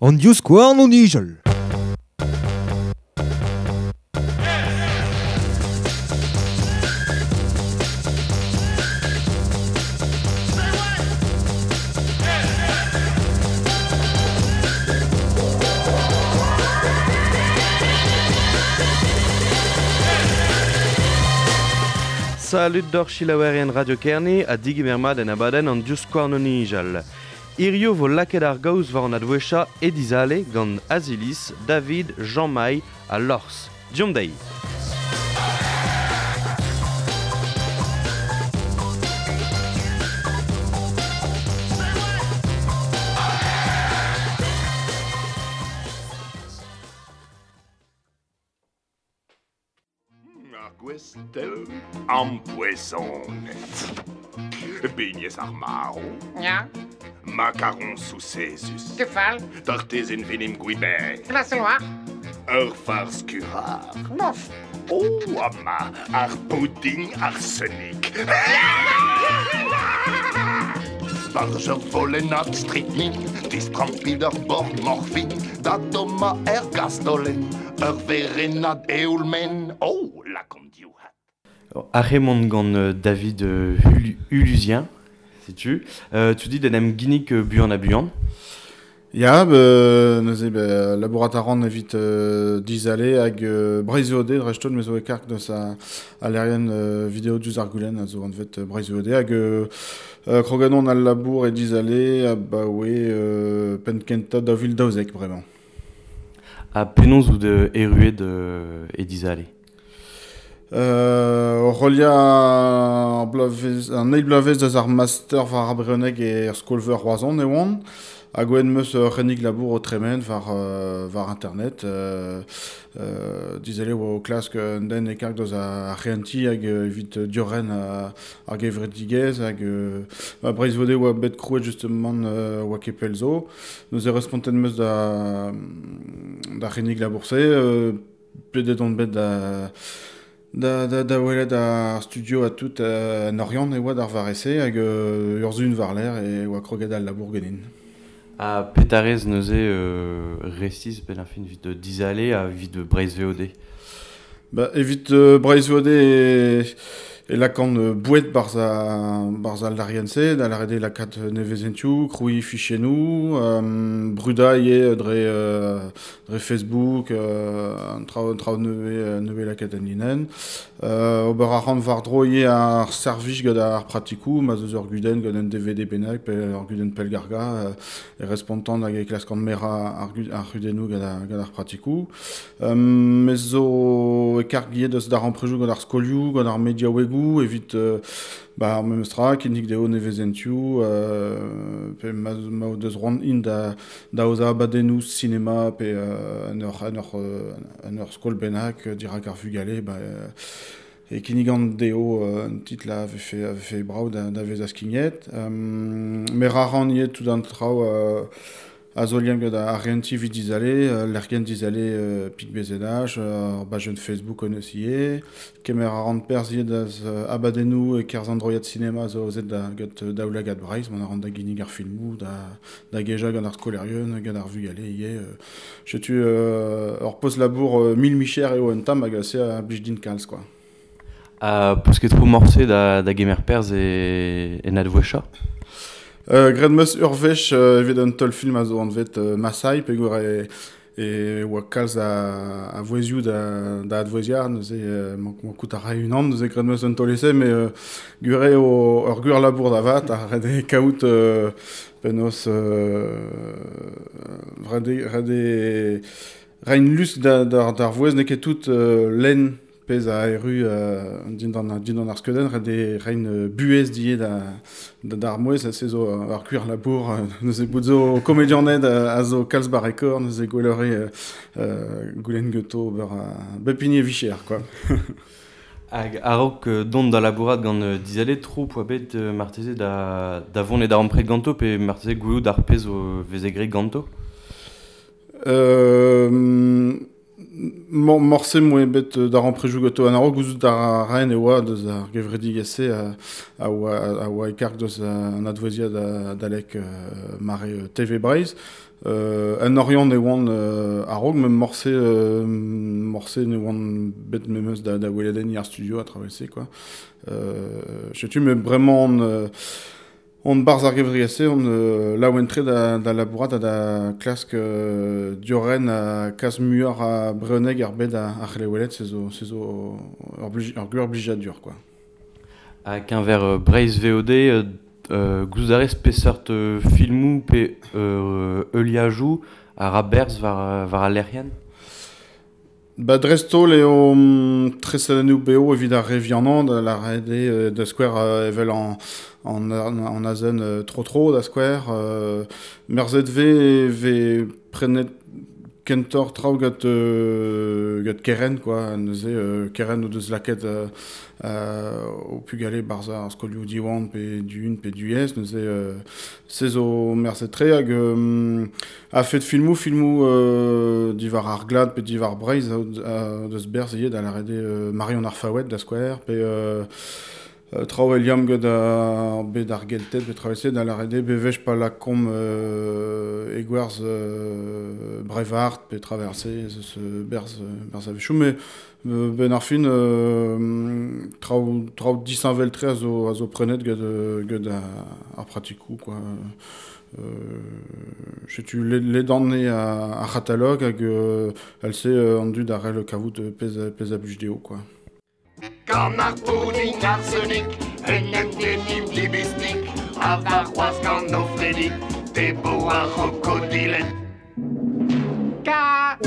An divskouarn o nijal. Salud d'or chilaouerien Radio Kerne ha digemer mat en abadenn an divskouarn o nijal. Hirio vo lakaet ar gaoz war an adwesha e dizale gant Azilis, David, Jean-Maï ha Lors. Diomp dezhi. Ar gwestell ampoezonet. Beignez ar marv. Ya. Makaron soucezus. Kefal. Tartezenn venim gwiber. Glaseloar. Ur farz kurar. Bof. Oh, ama, ar pudding arsenik. Barz ur volennad strychnine, distrampit ur bord morfin, da domma er gastolen, ur verennad eoulmen, oh, lakomp div hat. Arremont gant David Ulusien, setu. Tu dis d'en em ginnig buan ha buan. Ya, be, neuze be, labourat a ran evit dizale hag Breizh VOD dreist-holl me zo e karg deus a, a lerien video diouzh ar goulenn a zo anvet Breizh VOD hag kroganon al labour e dizale abaoe penn kentañ 2012 bremañ. Ha penaos out erruet e dizale? O reliañ ar bloavezh, an eil bloavezh deus ar master war ar brezhoneg er skol-veur Roazhon e oan. Hag oen meus ur c'hennig labour o tremen war, war internet. Dizale oa o klask un den e karg deus ar c'hehentiñ hag evit diorren ar gevredigezh hag ba Breizh VOD oa bet krouet justement oa ket pell zo. Neuze respontet meus da d'ar c'hennig labour-se. Pedet on bet da da, da, da welet ar studio ha tout en Oriant e oa d'ar varese hag ur zun war-lerc'h e oa kroget al labour ganin. Ha petarez neuze resis benn ar fin evit dizale ha evit Breizh VOD? Ba, evit Breizh VOD e, e lakaan boued barzh a, barzh al larienn-se, da lâret eo lakaat nevezentioù, krouiñ fichennoù, brudañ ivez dre, dre Facebook, an traoù, an traoù nevez, nevez lakaet en linenn. Ober a ran war-dro ivez ar servij gant ar pratikoù, ma 'z eus ur gudenn gant un DVD bennak pe ur gudenn pellgargañ, e respontan hag e klaskan merañ ar, ar c'hudennoù gant ar, gant ar pratikoù. Me zo e karg ivez deus darempredoù gant ar skolioù, gant ar mediaouegoù evit ba, ar memes tra, kinnig dezho nevezentioù, pe ma, ma o deus c'hoant int da, da aozañ abadennoù sinema pe en ur, en ur, en ur skol bennak dirak ar vugale, ba, e kinnigan dezho un titl a vefe, a vefe brav da, da vezañ skignet. Merañ a ran ivez tout an traoù a zo liamm gant ar renti evit dizale, lec'hienn dizale Pik BZH, ar bajenn Facebook hon eus ivez. Kemer a ran perzh ivez da abadennoù e-kerzh an droiad sinema zo aozet da gant Daoulagad Breizh, mont a ran da ginnig ar filmoù, da, da gejañ gant ar skolaerien, gant ar vugale ivez. Setu ur post-labour mil micher eo un tamm hag se a blij din kalz quoi. Ha peus ket tro morse da, da gemer perzh e, en advouezhañ? Graet 'm eus ur wech evit un teulfilm a zo anvet Masai peogwir e, e oa kalz a, a vouezhioù da, da advouezhiañ neuze mankout a rae unan neuze graet 'm eus un taol-ese met gwir eo ur gwir labour da vat ha ret eo kaout penaos ret eo ret eo reiñ lusk da, d'ar vouezh n'eo ket tout lenn pezh a erru dindan, dindan ar skeudenn, ret eo reiñ buhez die da, da, d'ar mouezh, se zo ur gwir labour, neuze bout zo komedianed a zo kalz barrekor, neuze gwelloc'h eo goulenn ganto ober bep hini e vicher, quoi. Hag a-raok dont da labourat gant Dizale, tro poa bet marteze da, da vont e darempred ganto pe marteze gwelout ar pezh o veze graet ganto? Morse moe bet d'ar amprejou gato an arog gouzout ar raen e oa deus ar gevredigezh-se a oa e karg deus an advouezhiad adalek mare TV Breizh. En Oriant e oan a-raok, met morse ne oan bet memes da weladenniñ ar studio a travel-se, quoi. Setu me bremañ on barzh ar gevredigezh-se, on laouen-tre da labourat ha da klask diorren ha kas muioc'h a brezhoneg ar bed ar c'hlewelet, se zo ur gwir blijadur, quoi. Ha keñver Breizh VOD, gouzout a rez peseurt filmoù pe heuliajoù a ra berzh war al lec'hienn? Ba dreist-holl eo tresadennoù bev evit ar re vianañ da lâret eo da skouer evel an azen tro-tro da skouer. Merzet vez prenet kentoc'h traoù gant Keren, quoi. Neuze Keren o deus lakaet o pugale barzh ar skolioù Diwan pe du-un pe du-ez. Neuze se zo merzet-tre hag a-fet filmoù diwar ar glad pe diwar Breizh deus berzh ivez da lâret eo Marion ar Faoued da skouer pe traoù e liamm gant ar bed ar Gelted pe traoù-se da lâret eo bewech pa lakaomp e gwerzh Brevard pe traverse eus berzh a-wechoù met ben ar fin traoù disheñvel-tre a zo prenet gant ar pratikoù, quoi. Setu ledan eo ar c'hatalog hag el-se an dud a c'hell kavout pezh a blij dezho, quoi. Gant ar pudding arsenik, en em denim dibistik, a varroaz gant o fredik, debo ar rokodilet. Ka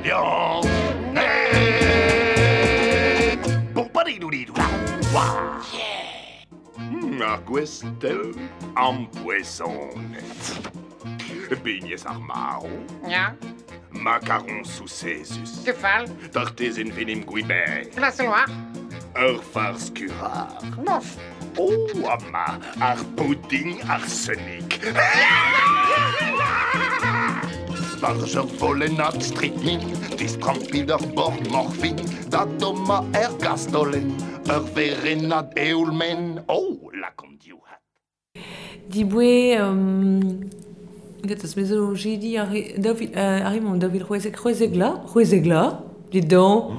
lion net. Pompadidou-didou la, wa. Ar gwestell ampoezonet. Beignez ar maro. Ya. Macaron sous Césus. Kefal. Tartezen venim gwiber. Glaseloar. Ur farz kurar. Bof. Oh, ama, ar pudding arsenik. Barz ur volennad strychnine, distrampit ur bord morfin, da dommañ er gastolenn, ur verennad eoul-men, oh, lakaomp div hat. Diboe, get eus me zo jedi arri mon daou vil c'hwezek la, dit donc.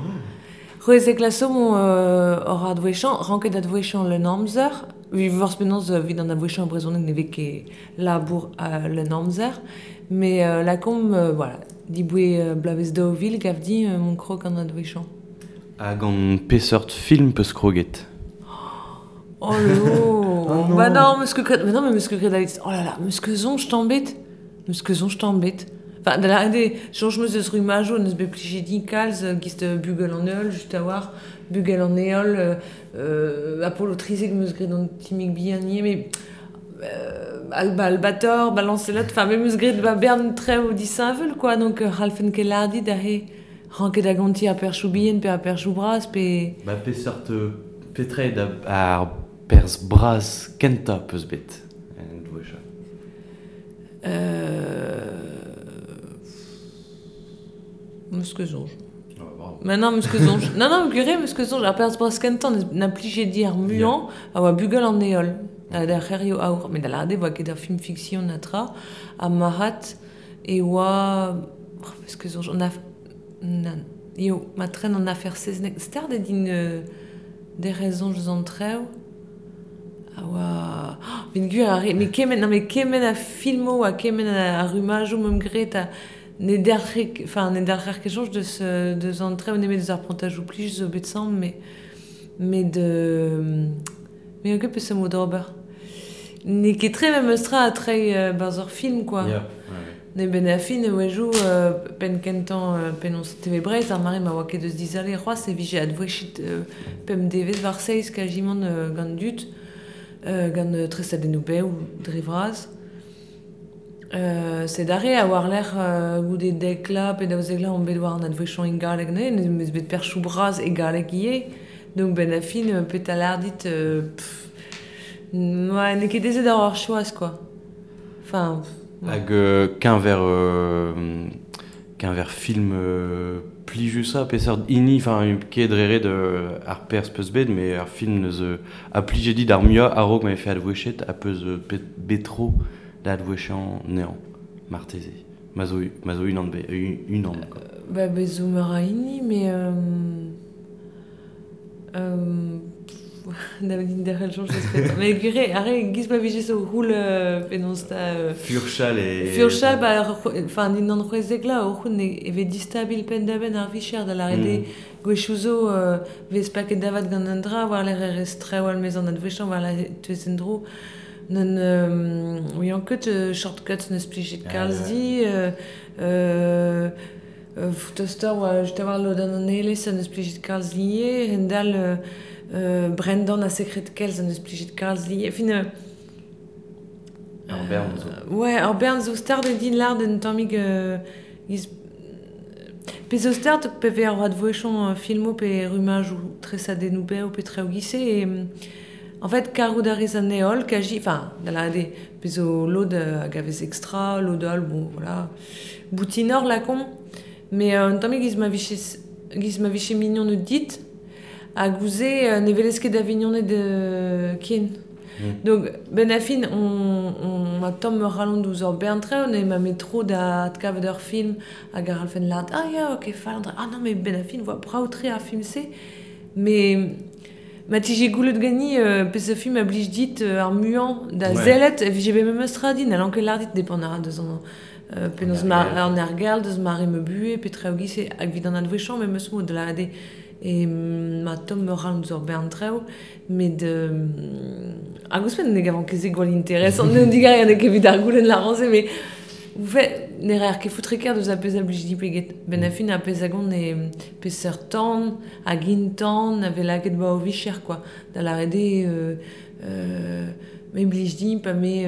C'hwezek la so mon hor advouezhañ, ranket advouezhañ le amzer, vi vorzh penaos evit an advouezhañ brezhoneg ne vez ket labour le amzer, mais lakaomp voilà, diboe bloavezh 2000 gav din mon krog an advouezhañ. Hag an peseurt film peus kroget? Oh lo. Bah non, meus ket mais non, mais meus ket graet oh là là, meus ket soñj tamm bet. Meus ket soñj tamm bet. Enfin, da lâret eo, soñj meus eus rumajoù neus bet plijet din kalz giz bugel an heol, just a-walc'h, bugel an heol, Apollo 13 meus graet an timig bihan ivez, mais Alba Albator, Balancelot, enfin, me meus graet ba bern trev disheñvel, quoi, donc c'hallfen ket lâret dit aze ranket da gontiñ ar perchoù bihan pe ar perchoù bras, pe... Ba peseurt petra eo ar perzh bras kentañ peus bet en dwesha? Meus ket soñj. Mais non, meus ket soñj. Non, non, gwir meus ket soñj. Ar perzh bras kentañ na plije dit ar muiañ a oa bugel an heol. Da c'herioù aour. Met da lâret eo oa ket ur film fiksion na tra. Ha marat e oa... Meus ket soñj. An eo, ma tren an afer Seznec. Start eo din derc'hel soñj eus an trev. A oa... Met gwir ar re... Mais kement, non, mais kement a filmoù ha kement a rumajoù meump graet ha ne derc'he, enfin, ne derc'her ket soñj deus an trev nemet deus ar prantajoù plij zo bet samm, mais de... Mais ket peseurt mod d'ober. N'eo ket tre memes tra a treiñ barzh ur film, quoi. Yeah. Ne ben a fin e wejou penn kentañ penaos TV Breizh ar mare ma oa ket eus dizale c'hoazh e vije advouezhiet pemp devezh war seizh kajimant gant dud, gant tresadennoù bev dre vras. Sed arre a war-lerc'h goude dek la pe daouzek la on bet war an advouezhañ e galleg neuze, neus bet perchoù bras e galleg ivez. Donc ben a fin petra lâr dit n'eo ket aezet ar choaz, quoi. Enfin, Hag keñver film plijusa peseurt hini, enfin ket drere de ar pers peus bet, mais ar film neus a plije dit ar muiañ a-raok ma vefe advouechet a peus betro da advouechañ neañ, marteze. Ma zo, ma zo unan be, unan, quoi. Ba bezo meur a hini, mais da din derc'hel soñj eus petra. Mais gure, arre, giz ma vije zo roul penaos da... Furchal e... Furchal, ba, enfin, dindan c'hwezek la, o c'houn e vez distabil penn-da-benn ar vicher da lâret eo gwechoù zo vez paket davat gant un dra, war lec'h e rez traoù al maez an adwechañ, war lec'h e teuez en-dro. N'en ouian ket shortcuts n'eus plijet kalz di, toster oa just a-walc'h lodenn an elez ha n'eus plijet kalz lié, hend-all Brendan a sekred kelz ha n'eus plijet kalz lié. Fin, Ur bern zo. Ouais, ur bern zo start eo din lâret un tammig giz pe zo start pe vez ar advouezhioù filmoù pe rummajoù tresadennoù bev pe traoù giz-se e En fait, karout a rez an heol, kaji, enfin, da lâret eo, pezh zo lod hag a vez extra, lod all, bon, voilà, boutinoc'h lakaomp, mais un tammig giz ma vije, giz ma vije mignoned dit, hag ouzh-se ne welez ket da vignoned ken. Donc, benn ar fin, on, on a tomm ur c'halon douzh ur bern traoù, ne ma met tro da adkavet ur film hag a c'hallfen lâret, ah ya, ok, fall an dra, ah non, mais benn ar fin, voa brav-tre ar film-se, mais Ma tije goulet gani peseurt film a blij dit ar muiañ da sellet e vije bet memes tra din, n'hallan ket lâr dit depend a ra deus an penaos an ergal, deus mare ma buhez pe traoù giz-se hag evit an adwechañ memes mod da lâret eo e ma tomm ur c'halon deus ur bern traoù met hag ouzhpenn ne gavan ket se gwall interesant, digarez n'eo ket evit ar goulenn lârañ-se met ne reer ket foutre-kaer deus ar pezh a blij dit peget. Benn ar fin ar pezh a gont eo peseurt tan hag int-tan a vez lakaet 'ba o vicher quoi. Da lâret eo me blij din pa me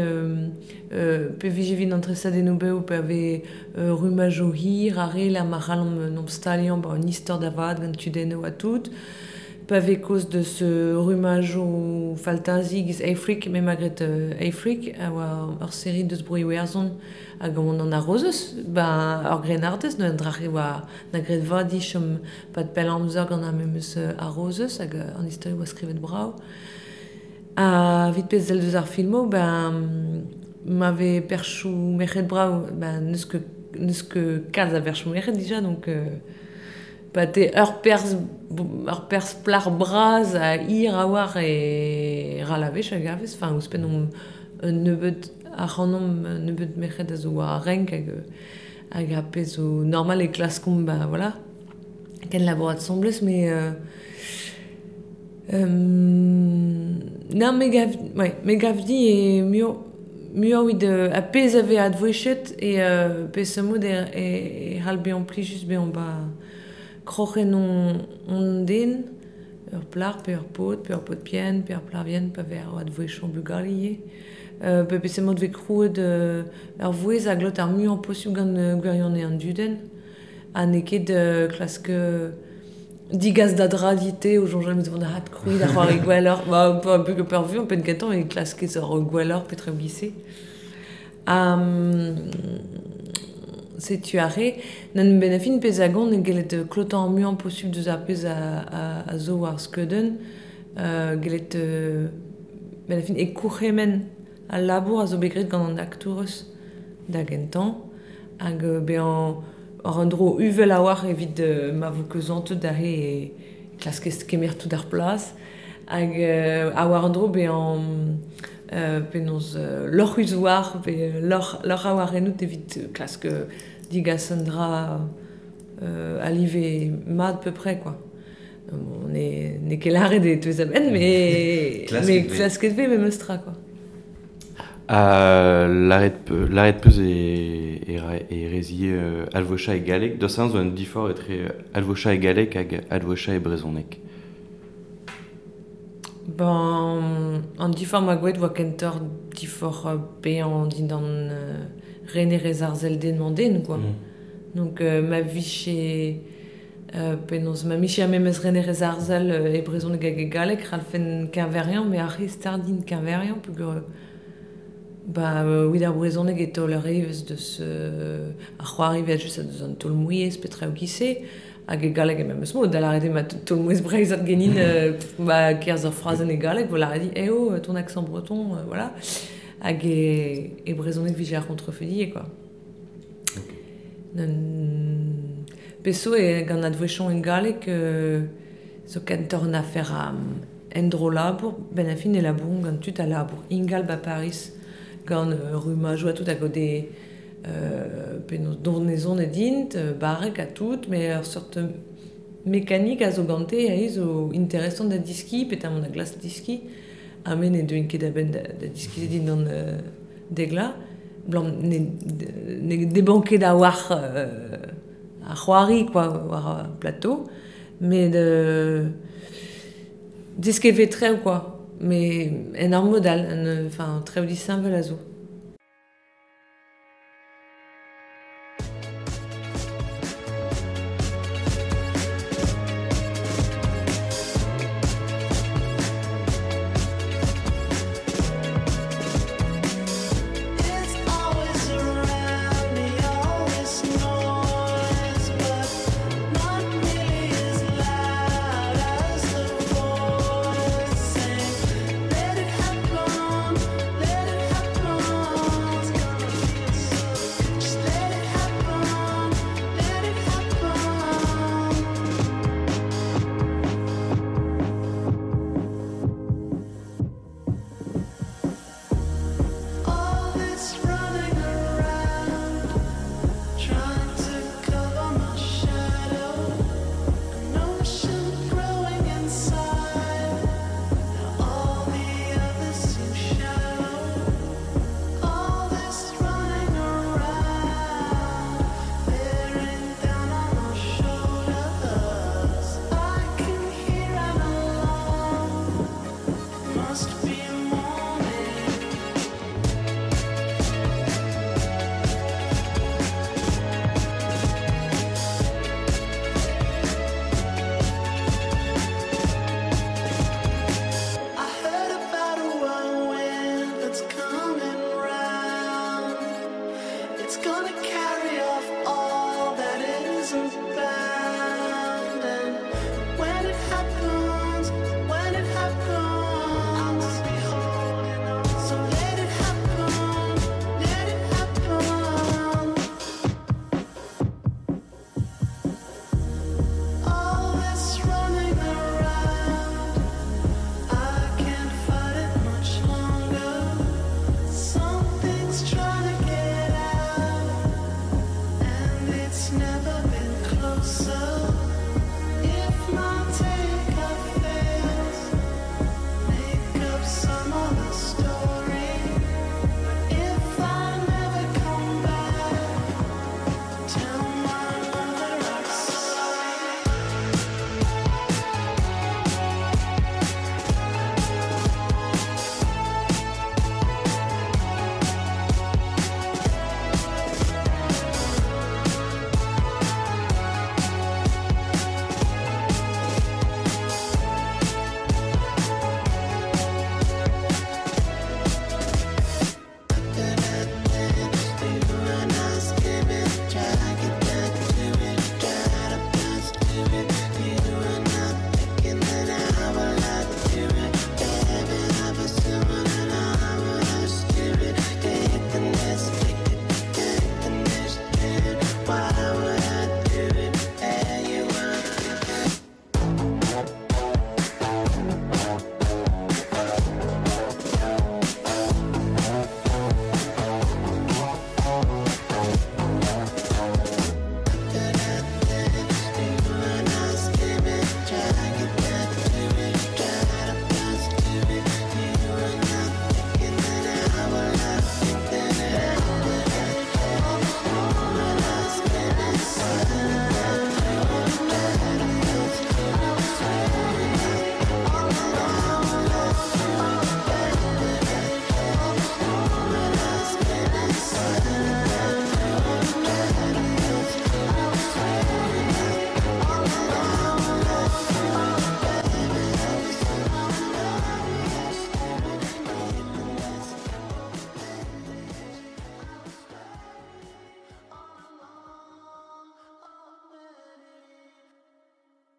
pe vije evit an tresadennoù bev pa vez rummajoù hir ar re lec'h ma c'hallomp en em staliañ 'ba un istor da vat gant tudennoù ha tout. Pa vez kaoz deus rummajoù faltazi giz Afric, me 'ma graet Afric a oa ur seri deus Bro-Iwerzhon hag on an arozez, ba ur grennardez, neuze an dra-se oa na graet vad dit chom 'pad pell amzer gant ar memes arozez hag an istor e oa skrivet brav. Ha evit pezh sell deus ar filmoù, ben ma vez perchoù merc'hed brav, ben n'eus ket n'eus ket kalz a berchoù merc'hed dija donc Pa te ur perzh ur perzh plac'h bras ha hir a-walc'h e ral a wech a gavez. Enfin, ouzhpenn omp un nebeud ac'hanomp, un nebeud merc'hed a zo war ar renk hag hag ar pezh zo normal e klaskomp ba voilà kenlabourat asambles mais non me gav ouais me gav din eo muioc'h muioc'h evit ar pezh a vez advouezhiet e peseurt mod e c'hall bezañ plijus bezañ 'ba kroc'hen hon den, ur plac'h pe ur paotr, pe ur paotr bihan, pe ur plac'h vihan pa vez ar advouezhioù bugale ivez. Pe peseurt mod 'vez krouet ur vouezh a glot ar muiañ posubl gant gwirionez an dudenn ha n'eo ket klask digas da dra dit-te o soñjal met vont da adkrouiñ da c'hoari gwelloc'h. Ba pa peurvuiañ penn-kentañ e klaskez ur gwelloc'h petra e-giz-se. Ha setu aze, n'en benn ar fin pezh a gont eo gellet klotañ ar muiañ posubl deus ar pezh a zo war skeudenn, gellet benn ar fin e kourc'hemenn al labour a zo bet graet gant an aktourez da gentañ hag bezañ war un dro uvel a-walc'h evit ma vo keuzantet aze e klaskez kemer tout ar plas hag ha war un dro bezañ penaos lorc'hus war pe lorc'h lorc'h a-walc'h ennout evit klask digas un dra a live mat peu-près quoi. Bon, n'eo ket lâret e teus a-benn, mais mais klasket 'vez memes tra quoi. Ha lâret peus e e rezie alvocha e galleg. Dost zo un diforc'h etre alvocha e galleg hag alvocha e brezhoneg? Ben, an diforc'h 'ma gwelet 'oa kentoc'h diforc'h bezañ dindan renerezh ar sell den-mañ-den quoi. Donc ma vije penaos ma 'mije ar memes renerezh arzel e brezhoneg hag e galleg c'hallfen keñveriañ met ar re start din keñveriañ peogwir ba evit ar brezhoneg e taoler evezh deus ar c'hoari evel-just deus an taol-mouezh pe traoù giz-se. Hag e galleg e memes mod, da lâret eo ma taol mouezh breizhat genin ba kerzh ur frazenn e galleg, vo lâret dit, eh oh, ton accent breton, voilà. Hag e, e brezhoneg vije ar c'hontrefeudier, quoi. Peso e gant advouechon en galleg zo kentoc'h un afer a endro labour, ben a fin e labouron gant tud a labour ingal ba Paris gant rummajoù ha tout hag o de penaos donezon e dint, barrek ha tout, mais ur seurt mekanik a zo gante aze zo interesant da diski, petamant da glask diski, ha me ne deuin ket a-benn da diski dindan degla, blam ne, ne deban ket a-walc'h ar c'hoari quoi, war ar plateau, met desket vez trev quoi, mais en ur mod all, en, enfin trev disheñvel a zo. It's always around me, always noise, but not nearly as loud as the voice saying, let it happen, let it happen.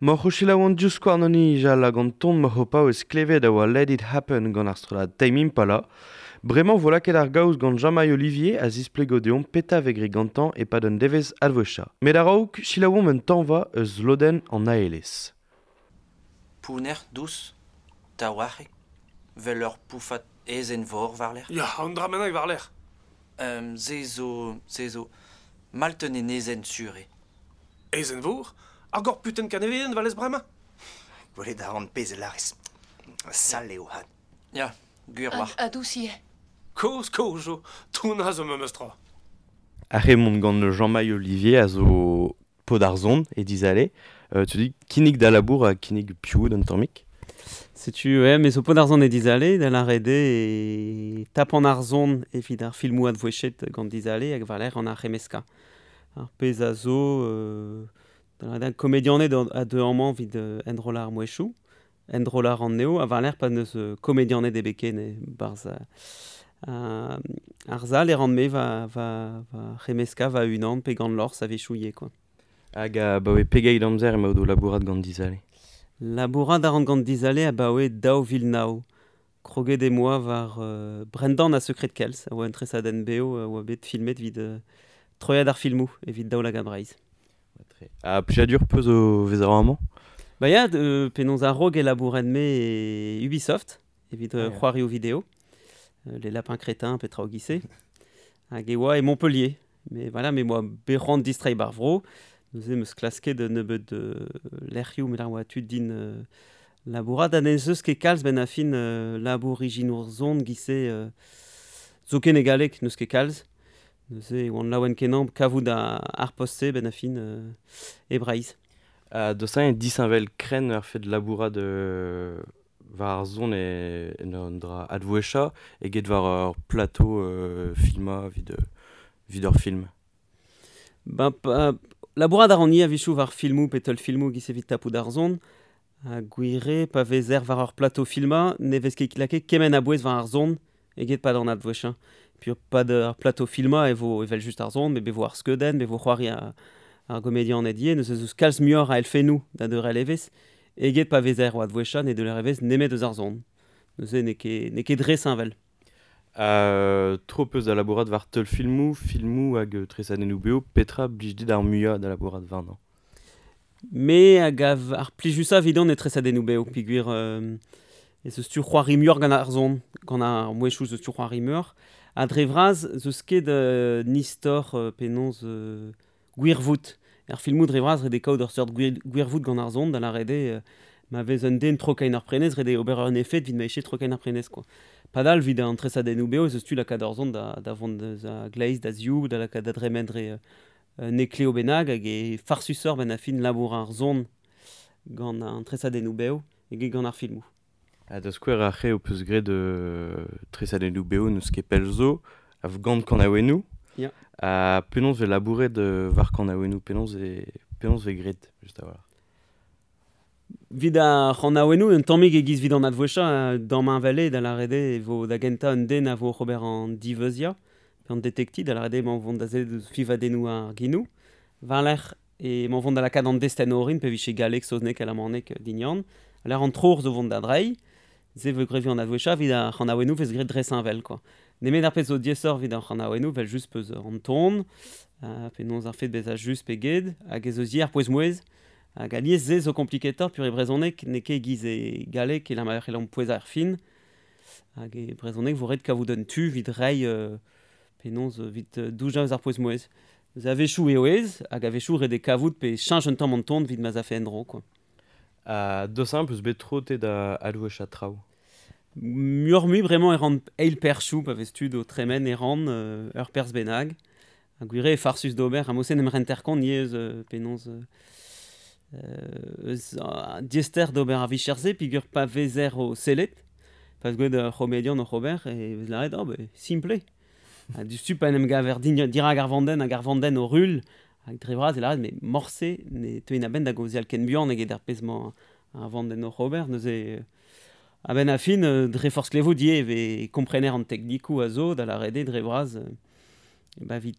Moc'h o selaou an divskouarn o nijal hag an ton moc'h o paouez klevet a oa Let It Happen gant ar strollad Tame Impala. Bremañ vo lakaet ar gaoz gant Jean-Maï Olivier a zisplego deomp petra vez graet gantañ e-pad un devezh advouezhañ. Met a-raok, selaouomp un tañva eus lodenn an aelez. Pounner, dous, taouarc'hek, 'vel ur poufad aezhenn-vor war-lerc'h. Ya, un dra bennak war-lerc'h. Se zo... se zo... Malt un enezenn sur eo. Aezhenn-vor? Ar gorputenn kanevedenn 'valez bremañ? Gwelet a ran pezh a lârez. Sall eo 'vat. Ya, gwir 'oar. Ha dous ivez. Kozh kozh zo, tounañ zo memes tra. Ar re-mont gant Jean-Maï Olivier a zo paotr ar son e Dizale. Tu dis kinnig da labour ha kinnig piv d'un tammig. Setu, ouais, me zo paotr ar son e Dizale, da lâret eo e tapan ar son evit ar filmoù advouezhet gant Dizale hag war-lerc'h an ar c'hemmeskañ. Ar pezh a zo da lâret eo komedianed a deu amañ evit enrollañ ar mouezhioù, enrollañ ar anezho, ha war-lerc'h pa n'eus komedianed ebet ken e-barzh ar sal e ran-me va, va, va c'hemmeskañ va-unan pe gant Lors a-wechoù ivez quoi. Hag abaoe pegeit amzer emaout o labourat gant Dizale? Labourat a ran gant Dizale abaoe 2009. Kroget em boa war Brendan ha Sekred Kells, a oa un tresadenn bev a oa bet filmet evit troiad ar filmoù evit Daoulagad Breizh. Ha plijadur 'peus o vezañ amañ? Ba ya, penaos a-raok e labouren-me e Ubisoft evit c'hoarioù video, Les Lapins Crétins pe traoù giz-se. Hag e oa e Montpellier. Mais voilà, me 'moa bet c'hoant distreiñ 'bar vro. Neuze 'm eus klasket un nebeud lec'hioù met ar oa tud din labourat ha n'ez eus ket kalz 'benn ar fin labour ijinour son giz-se zoken e galleg n'eus ket kalz. Neuze e oan laouen-kenañ kavout ar post-se 'benn ar fin e Breizh. Ha deus-eñ disheñvel krenn ar fed labourat war ar son e en un dra advouezhañ eget war ur plateau filmañ evit evit ur film? Ba, pa, labourat a ran ivez a-wechoù war filmoù pe teulfilmoù giz evit tapout ar son. Ha gwir eo pa vezer war ur plateau filmañ ne vez ket lakaet kement a bouez war ar son eget pad an advouezhañ. Puis pad ar plateau filmañ e vo evel-just ar son, met be vo ar skeudenn, be vo c'hoari ar gomedianed ivez. Neuze ez eus kalz muioc'h a elfennoù da deurel evezh eget pa vezer o advouezhañ ne deuler evezh nemet eus ar son. Neuze n'eo ket, n'eo ket dre heñvel. Tro 'peus da labourat war teulfilmoù, filmoù hag tresadennoù bev. Petra blij dit ar muiañ da labourat warnañ? Me a gav ar plijusañ evidon eo tresadennoù bev peogwir ez eus tu c'hoari muioc'h gant ar son, gant ar mouezhioù ez eus tu c'hoari muioc'h. Ha dre vras ez eus ket un istor penaos gwirvoud. Er filmoù dre vras ret eo kaout ur seurt gwirvoud gant ar son, da lâret eo ma vez un den trokain ar prenestr, ret eo ober un efed evit ma eche trokain ar prenestr quoi. Padal evit an tresadennoù bev ez eus tu lakaat ur son da vont eus a gleiz da ziv, da lakaat da dremen dre un ekleo bennak hag e farsusoc'h 'benn ar fin labour ar son gant an tresadennoù bev eget gant ar filmoù. Ha da skouer ar re ho peus graet tresadennoù bev n'eus ket pell zo, a vo gant kanaouennoù. Ya. Ha penaos vez labouret war kanaouennoù, penaos e penaos vez graet just a-walc'h? Evit ar c'hanaouennoù, un tammig e-giz evit an advouezhañ, damheñvel eo da lâret eo e vo da gentañ un den a vo oc'h ober an diveuziañ, pe an detektiñ, da lâret eo emañ o vont da sellet ouzh fiñvadennoù ar genoù. War-lerc'h emañ o vont da lakaat an destenn orin, pe vije galleg, saozneg, alamaneg, dignan. War-lerc'h an troc'h zo vont da dreiñ. Se vo graet evit an advouezhañ, evit ar c'hanaouennoù vez graet dres-heñvel quoi. Nemet ar pezh zo diaesoc'h evit ar c'hanaouennoù, evel-just peus an ton, penaos ar fed bezañ just pe get, hag ez eus ivez ar pouez-mouezh. Hag alies se zo kompliketoc'h peogwir e brezhoneg n'eo ket e-giz e galleg e ma c'hellomp pouezañ er fin. Hag e brezhoneg vo ret kavout un tu evit reiñ penaos evit doujañ eus ar pouez-mouezh. Neuze a-wechoù eo aes hag a-wechoù ret eo kavout pe cheñch un tamm an ton evit ma'z afe en-dro quoi. Ha deus-eñ peus bet tro te da advouezhañ traoù? Muioc'h-mui bremañ e ran eil perzhioù pa vez tud o tremen e ran ur perzh bennak. Ha gwir eo farsus d'ober ha mod-se en em renter kont ivez eus penaos eus diaester d'ober ar vicher-se peogwir pa vezer o sellet, pa vez gwelet ur c'homedian oc'h ober e vez lâret oh ben simpl eo. Ha diouzhtu pa en em gaver dirak ar vandenn hag ar vandenn o ruilh hag dre vras e lâret mais morse ne teuin a-benn da gaozeal ken buan eget ar pezh-mañ ar vandenn oc'h ober. Neuze a-benn ar fin dre forzh klevout ivez e vez komprener an teknikoù a zo da lâret eo dre vras ba evit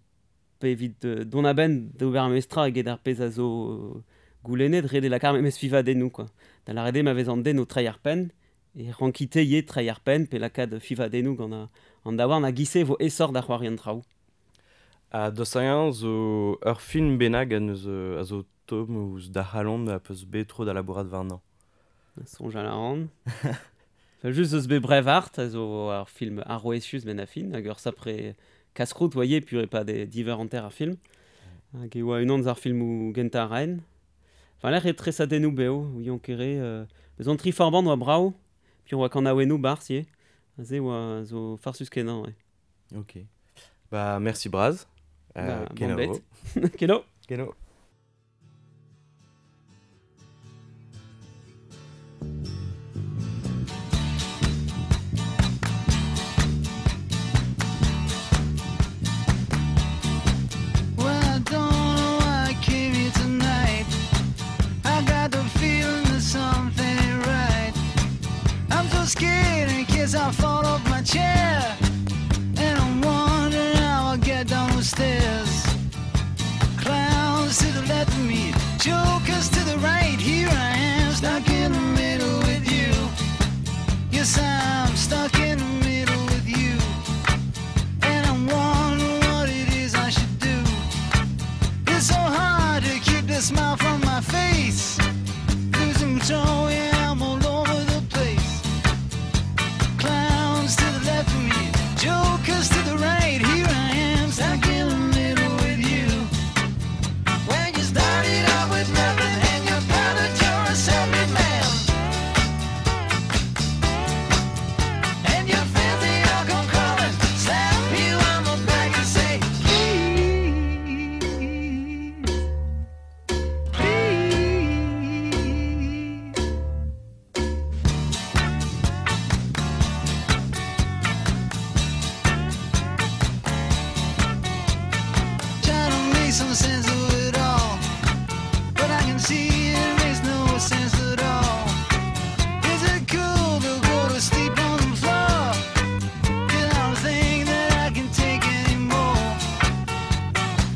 pe evit dont a-benn d'ober ar memes tra eget ar pezh a zo Goulennet ret eo lakaat memes fivadennoù quoi. Da lâret eo ma vez an den o treiñ ar penn, e rankite ivez treiñ ar penn pe lakaat fivadennoù gant an daouarn hag e-se e vo aesoc'h da c'hoari an traoù. Ha dost-hag-eñ zo ur film bennak a neus a zo tomm ouzh da c'halon a peus bet tro da labourat warnañ. Soñjal a ran. Enfin, just eus bet Braveheart a zo ar film arouezius benn ar fin, hag ur sapre casse-croûte voyez, pur e pa de diver hanter ar film. Hag e oa unan eus ar filmoù gentañ a raen. Enfin, lec'h e tresadennoù bev, ouion kere, eus an tri forban oa brav, puis on oa kanaouennoù barzh ivez. Aze oa zo farsus kenañ, ouais. Ok. Bah, merci braz. Bah, kenavo. bon bet. Keno. Keno. Well, I don't know why I came here tonight. I got the feeling that something ain't right. I'm so scared in case I fall off my chair. And I'm wondering how I'll get down the stairs. Clowns to the left of me, jokers to the right. Here I am, stuck in the middle with you. Yes, I'm stuck in the middle with you. And I'm wondering what it is I should do. It's so hard to keep the smile from my face. Losing control, yeah, I'm all over the place. Clowns to the left of me, jokers to the right. Here I am, stuck in the middle with you. When you started out with nothing and you're proud that you're a self-made man. And your friends, they all come crawling, slap you on the back and say, please, please. Trying to make some sense of it all, but I can see it makes no sense at all. Is it cool to go to sleep on the floor? 'Cause I don't think that I can take anymore.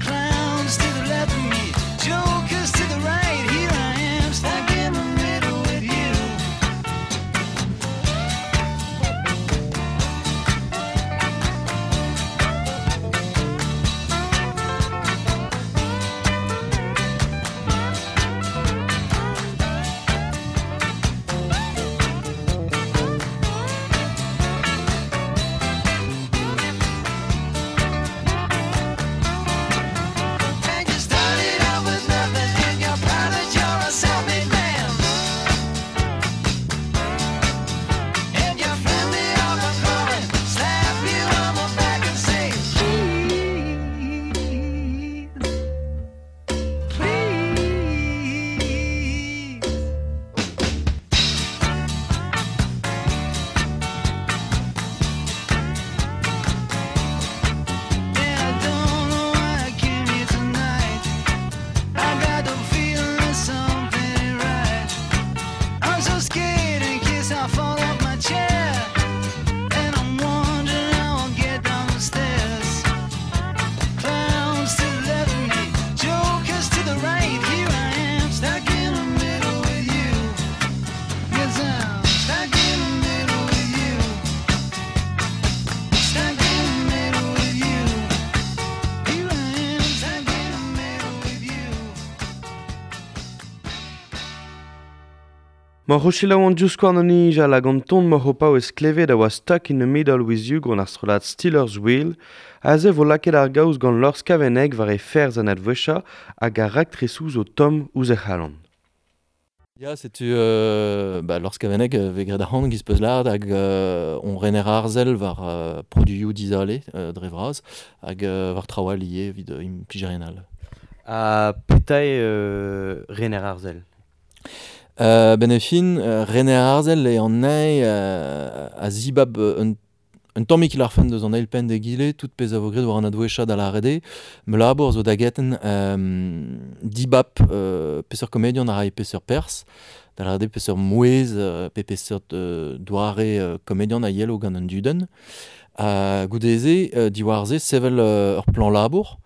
Clowns to the left of me, jokers to the right. Here I am, stuck in the middle with you. And you started out with nothing, and you're proud that you're a self-made man. And your friend, they all come crawling, slap you on the back and say, please, please. Yeah, I don't know why I came here tonight. I got the feeling that something ain't right. I'm so scared in case I fall off my chair. And I'm wondering how I'll get down the stairs. Clowns to the left of me, jokers to the right. Here I am, stuck in the middle with you. Yes, I'm stuck in the middle with you. Stuck in the middle with you. Here I am, stuck in the middle with you. Moc'h o selaou an diouzhskouarn an nijal hag an ton moc'h o paouez klevet a oa Stuck in the Middle with You gant ar strollad Steelers Wheel, aze vo lakaet ar gaoz gant Lors Kaveneg war e ferzh an adwechañ hag ar raktresoù zo tomm ouzh e c'halon. Ya, setu ba, Lors Kaveneg vez graet ar c'hant giz peus lâret hag on rener arzel war produioù dizale dre vras hag war traoù all ivez evit implijerien all. Ha petra eo rener arzel? Ben e fin, rener arzel eo an nae a zibab un tammig l'arfen deus an eil penn d'egile, tout pezh a vo graet war an adwechañ da lâret eo. Me labour zo da geten dibab peseurt komedian a ray peseurt perzh, da lâret eo peseurt mouezh pe peseurt doare komedian a yelo gant an dudenn. Ha goude-se, diwar-se, sevel ur plan labour,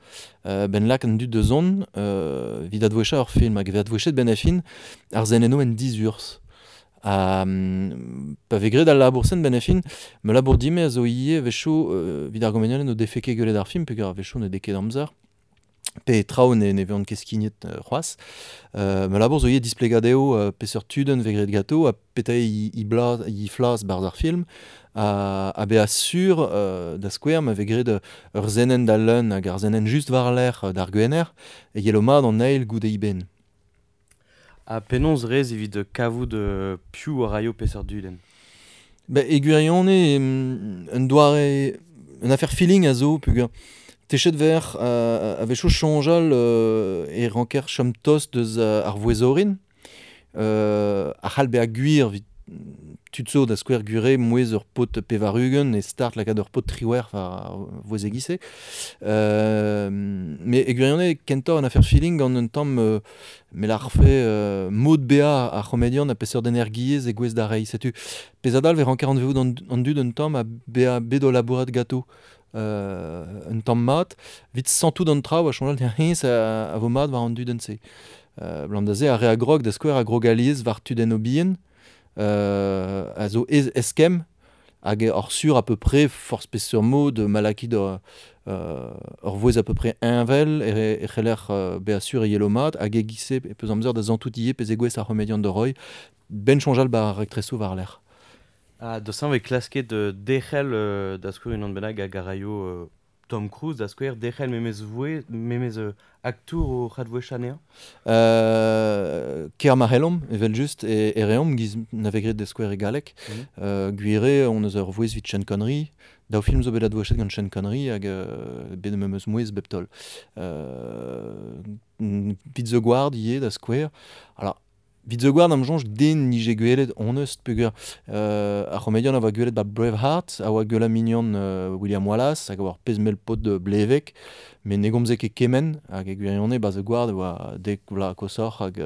ben lak an dud da zont, evit advouechañ ur film, hag evit advouechet ben a fin ar zenenno en dizurzh. Ha pa vez graet al labour-sen ben a fin, ma labour dime a zo ivez a-wechoù evit ar gomedianed n'o defe ket gwelet ar film, peogwir a-wechoù ne dez ket amzer, pe traoù ne vezont ket skignet c'hoazh. Ma labour zo ivez displegañ dezho peseurt tudenn vez graet ganto ha petra eo he flas barzh ar film, ha bezañ sur da skouer ma vez graet ur senenn da leun hag ar senenn just war-lerc'h d'ar Gwener, e yelo mat an eil goude eben. Ha penaos rez evit kavout piv a raio peseurt dudenn? Ba, e gwirionez, un doare, un affaire feeling a zo, peogwir techet ver a-wechoù soñjal e ranker chom tost deus ar vouezh orin, a c'hall bezañ gwir evit tud zo da skouer gwir eo mouezh ur paotr 80 e start lakaat ur paotr 18 war ar vouezh e-giz-se. Met e gwirionez kentoc'h un affaire feeling gant un tamm me lârfe mod bezañ ar c'homedian ha peseurt energiezh e gouez da reiñ. Setu pezh a dalv e ranker anvezout an dud un tamm ha bezañ bet o labourat ganto un tamm mat evit santout an traoù ha soñjal hennezh a vo mat war an dudenn-se. Abalamour da se ar re a grog da skouer a grog alies war tudennoù bihan a zo ez eskemm hag oc'h sur à peu près forzh peseurt mod ma lakit ur vouezh à peu près heñvel e c'heller bezañ sur e yelo mat hag e-giz-se e peus amzer da santout ivez pezh e gouez ar c'homedian da roiñ ben soñjal 'ba ar raktresoù war-lerc'h. Ha da sañ vez klasket derc'hel da skouer unan bennak hag a raio Tom Cruise da skouer derc'hel memes vouezh, memes aktour o c'hadvouezh anezhañ? Ker ma c'hellomp, evel-just, e reomp giz na vez graet da skouer e galleg. Gwir eo hon eus ur vouezh evit Sean Connery. Daou film zo bet advouezhet gant Sean Connery hag bet memes mouezh bep taol. Evit The Guard ivez da skouer. Alors, Evit The Guard am soñj den 'nije gwelet honnezh peogwir ar c'homedian a oa gwelet 'ba Braveheart a oa gwellañ mignon William Wallace hag a oa ur pezh mell paotr blevek met ne gomze ket kement hag e gwirionez 'ba The Guard e oa 10 vloaz koshoc'h hag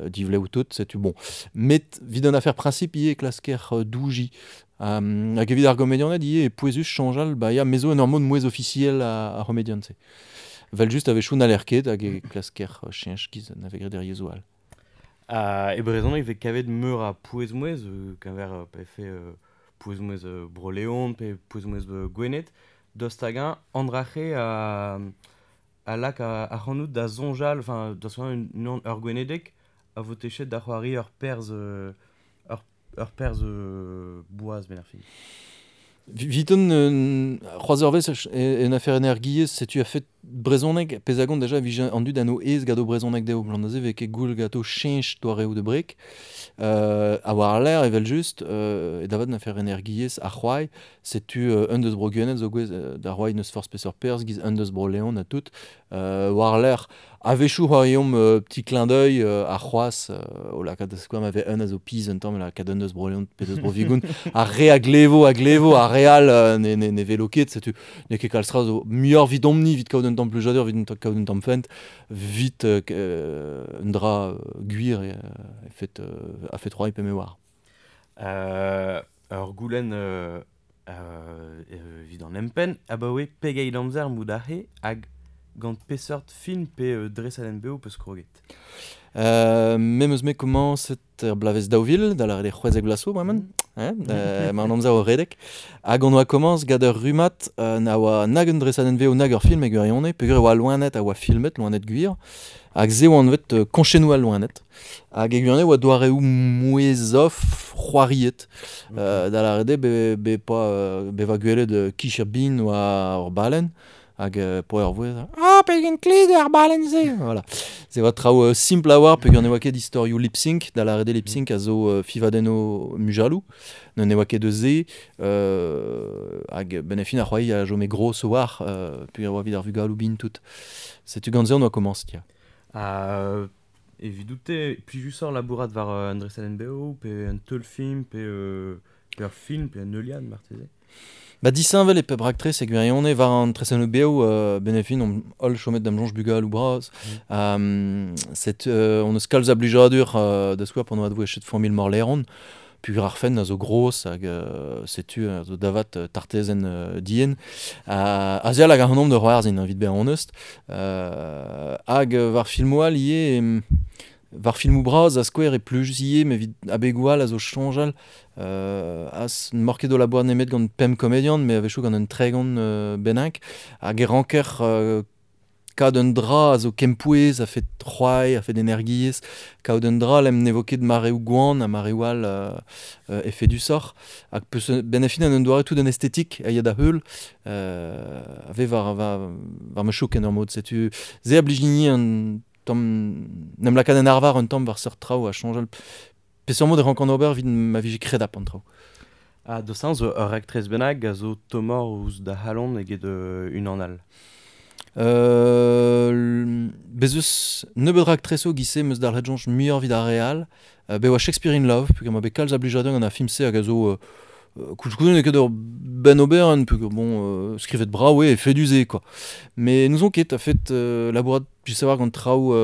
divlev tout setu bon. Met evit an afer principe ivez e klasker doujiñ hag evit ar gomedianed ivez e pouezus soñjal ba ya me zo en ur mod mouezh ofisiel ar c'homedian-se. Evel-just a-wechoù n'haller ket hag e klasker cheñch giz na vez graet er yezhoù all. E brezhoneg e vez kavet meur a pouez-mouezh, keñver pa vefe pouez-mouezh Bro-Leon pe pouez-mouezh Gwened. Daoust hag-eñ an dra-se a lak ac'hanout da soñjal, enfin da soñjal unan ur Gwenedeg a vo techet da c'hoari ur perzh ur perzh boaz benn ar fin. Viton, c'hoazh ur wech en afer energiezh, setu a-fet brezhoneg, pezh a gont déjà vije an dud anv aes gant o brezhoneg dezho, blam da se vez ket goull ganto cheñch doareoù da breg. Ha war-lerc'h evel-just, e davat an afer energiezh ar c'hoari, setu un deus bro Gwened zo gouez da c'hoari n'eus forzh peseurt perzh, giz un deus bro Leon ha tout. War-lerc'h, a-wechoù c'hoariomp petit clin d'œil ar c'hoazh o lakaat da skouer ma vez un a zo pizh un tamm lakaat un deus Bro-Leon pe deus Bro-Vigoun. Ar re a glevo, ar re all ne velo ket, setu n'eo ket kalz tra zo muioc'h 'vidomp-ni evit kaout un tamm plijadur, evit kaout un tamm fent, 'vit un dra gwir a-fet c'hoari pe me oar. Ur goulenn evit an empenn, abaoe pegeit amzer mout aze hag gant peseurt film pe dresadenn-bev peus kroget? Me 'm eus-me komañset er bloavezh 2000, da lâret eo 16 vloaz zo bremañ, hein, emañ an amzer o redek. Hag on oa komañs gant ur rummad na oa nag un dresadenn-vev nag ur film e gwirionez, peogwir e oa loened a oa filmet, loened gwir, hag se oa anvet Koñchennoù al loened. Hag e gwirionez e oa doareoù mouezh-off c'hoariet. Da lâret eo be poa bevañ gwelet kicher bin war ur balenn, hag poa ur vouezh Ah, pegen kled eo ar balenn-se! Voilà. Se oa traoù simpl a-walc'h peogwir ne oa ket istorioù lip-sync, da lâret eo lip-sync a zo fivadennoù mujaloù, ne oa ket eus se, hag benn ar fin ar c'hoari a chome gros a-walc'h peogwir e oa evit ar vugaloù bihan tout. Setu gant se on oa komañset ya. Ha evidout-te, plijusoc'h labourat war un dresadenn-bev pe un teulfilm pe ur film pe un heuliad marteze? Ba disheñvel e pep raktres e gwirionez war an tresennoù bev benn ar fin omp holl chomet da'm soñj bugaloù bras. Set on eus kalz a blijadur da skouer p'on oa advouezhet familh Morleron. Pugur ar fenn a zo gros hag setu a zo davat tartezen dien. A zeal hag ar nombre de c'hoarzhin, evit bezañ honest. Hag war filmoù all ivez, war filmoù bras a skouer e plujus ivez, met evit abegoù all a zo soñjal. Az n'emaoc'h ket o labourat nemet gant pemp komedian, met a-wechoù gant un 30 bennak. Hag e ranker kaout un dra a zo kempouez, a fet c'hoari, a fet energiezh, kaout un dra lem ne vo ket mareoù gwan ha mareoù all efedusoc'h. Hag peus ben a fin an un doare tout un estetik a ya da heul, a vez war ma chouk en ur mod. Setu ze a blij din un tamm, n'em lakaat en arvar un tamm war seurt traoù a soñjal. Peseurt mod e rank an ober evit ma vije kredap an traoù. Ah, deus an zo ur raktres bennak a zo tomor ouzh da halon eget unan all. Bez eus nebeut raktresoù giz-se meus dalc'het soñj muioc'h evit ar re all. Bet oa Shakespeare in Love, peogwir ma bet kalz a blijadur gant ar film-se hag a zo koulskoude n'eo ket ur benn oberenn, peogwir bon, skrivet brav eo, efedus eo, quoi. Mais n'ouzon ket, a fet labourat, je sais war gant traoù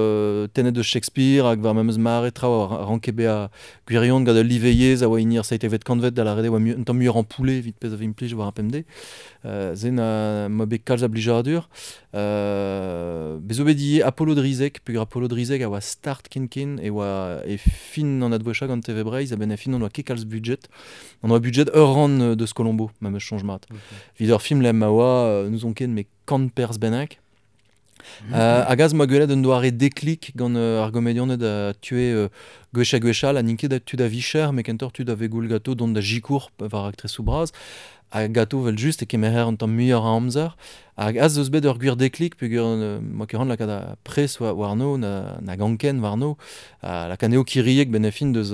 tennet deus Shakespeare hag war memes mare traoù a ranke bezañ gwirion gant ul liveiezh a oa hini ar seitekvet kantved da lâret eo oa un tamm muioc'h ampoule evit pezh a vez implij war ar pemdez. Se na ma bet kalz a blijadur. Bez zo bet ivez Apollo Drizeg, peogwir Apollo Drizeg a oa start ken-ken e oa e fin an advouezhañ gant TV Breizh, a-benn ar fin on oa ket kalz budget. On oa budget ur rann deus Colombo, ma meus soñj mat. Evit ur film lem a oa, n'ouzon ket, met kant perzh bennak. Hag az ma gwelet un doare deklik gant ar gomedianed a tue gwech ha gwech all, ha n'int ket tud a vicher, met kentoc'h tud a vegoul ganto dont da sikour war aktresoù bras. Hag ganto vel just e kemerer un tamm muioc'h a amzer. Hag az eus bet ur gwir deklik, peogwir ma ket ran lakaat ar pres warno, na ganken warno, ha lakaat anezho kiriek ben a fin deus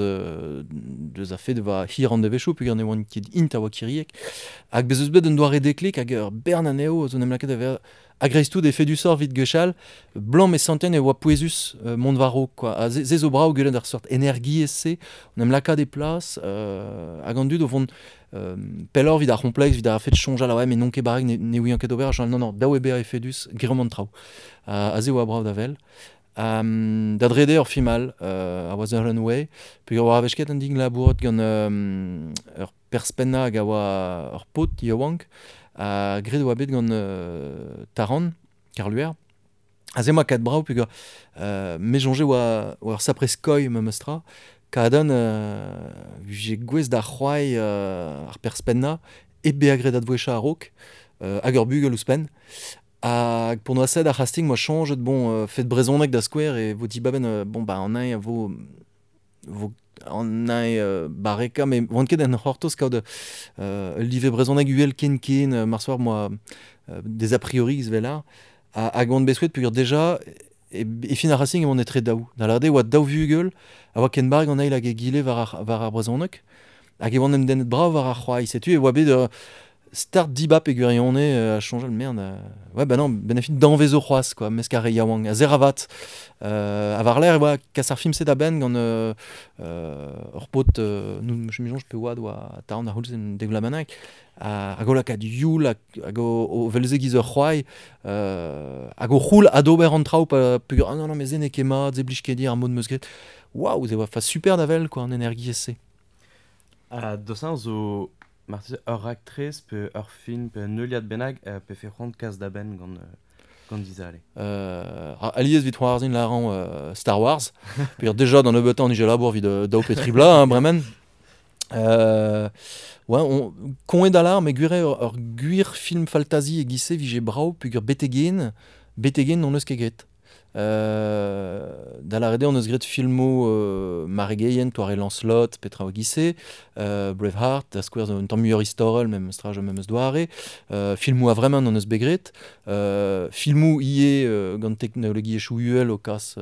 a fet va hir an devezhioù, peogwir ne oant ket int a oa kiriek. Hag bez eus bet un doare deklik hag ur bern anezho zo n'em lakaet da vezañ a-greiz-tout efedusoc'h evit gwechall, blanc me santen e oa pouezus mont war-raok, quoi. Ha se zo brav gwelet ar seurt energiezh-se, on em lakaat e plas, hag an dud o vont pelloc'h evit ar c'hompleks, evit ar fet soñjal, ah ouais, mais n'on ket barrek, ne ouian ket ober, non, non, daou eo bezañ efedus, greomp an traoù. Ha se oa brav da wel. Da drede ur film all, a oa The Runway, peogwir oa a-wech ket an din labourat gant ur perspennañ hag a oa ur paotr yaouank, ha graet oa bet gant Taran, Karluer. Ha se 'moa kat brav peogwir me soñje oa ur sapre skoilh memes tra. Kadan vije gouest da c'hoari ar perspennañ hep bezañ graet advouezhañ a-raok, hag ur bugel ouzhpenn. Hag pour noa sed ar c'hasting 'moa soñjet, bon, fet brezhoneg da skouer e vo dibaben, bon, ba an eñ a vo an eñ barrekañ, met oan ket en c'hortoz kaout ul live brezhoneg uhel ken-ken, mar soar 'moa des a priori evel ar. Hag oan bet souet peogwir déjà e fin ar racing e oan etre daou. Da lâret eo oa daou vugel a oa ken barrek an eil hag egile war ar brezhoneg. Hag e oan em dennet brav war ar c'hoari. Setu e oa bet start dibab e gwirionez a soñjal merde. Ouais, bah non, ben a fin danvezo c'hoazh, quoi, mesk ar re yaouank. A zeravat. A war-lerc'h e oa kas ar film-se da benn gant ur paotr, nous, je me soñj pe oad oa taon ar c'houlz en dek vloaz bennak. Hag o lakaat youl, hag o vel-se giz ur c'hoari, hag o c'houl adober an traoù, pa peogwir, ah non, non, mais se n'eo ket mat, se blij ket dir ar mod meus graet. Waouh, se oa fa super da wel, quoi, an energiezh-se. Ha deus an zo marteze ur raktres pe ur film pe un heuliad bennak pe fe c'hoant kas da benn gant dizale. Alies evit c'hoarzhin lârañ Star Wars. Peogwir déjà d'an nebeutañ an ije labour evit daou pe tri bloaz, hein, bremen. Ouais, on koñet alar, met gwir eo ur gwir film faltazi e-giz-se vije brav peogwir betegen n'hon eus ket graet. Da lâret eo hon eus graet filmoù maregeien, toare Lancelot, petra oa giz-se, Braveheart, da skouer zo un tamm muioc'h istorel, memes tra memes doare, filmoù a-vremañ hon eus bet graet, filmoù ivez gant teknologiezhioù uhel o kas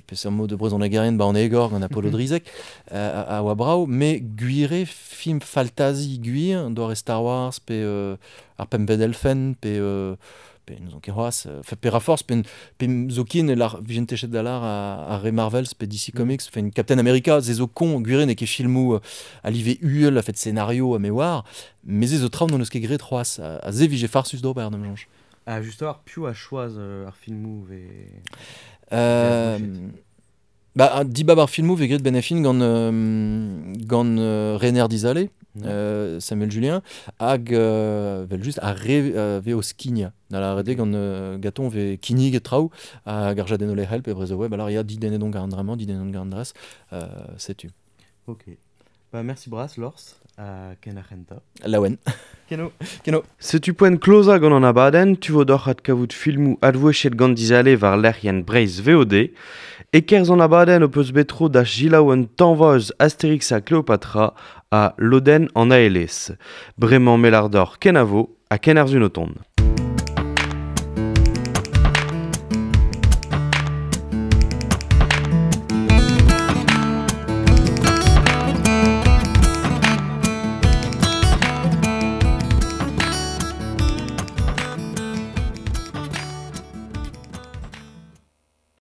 peseurt mod brezhonegerien ba an egor gant Apollo Drizeg, a oa brav, met gwir eo film faltazi gwir, doare Star Wars pe ar pempvet elfenn pe n'ouzon ket c'hoazh, pe ra forzh, pe zoken e lar vijent techet da lar ar re Marvels pe DC Comics, enfin Captain America, se zo con, gwir eo n'eo ket filmoù a live uhel a fet scénario ha me oar, met se zo traoù n'hon eus ket graet c'hoazh, ha se vije farsus d'ober d'am soñj. Ha just war piv a choaz ar filmoù ve... Ba, dibab ar filmou ve gret ben fin gant, gant Rener Dizale, Samuel Julien, hag vel just a re ve o skigna. Da la rede gant gaton ve kinnig et traoù hag ar jadenno le help e brezo web, alors ya didennet on gant dramant, didennet on gant dres, setu. Ok. Ba, merci bras, Lors, a ken ar. Laouen. Keno. Keno. Setu poent kloza gant an abadenn, tu vo doc'h ad kavout filmou advouechet gant dizale war lec'hien Breizh VOD. E kerz an abadenn o peus betro da jilaou un tanvoz Asterix ha Cleopatra a Loden an ALS. Bremañ melardor kenavo ha ken ar zunoton.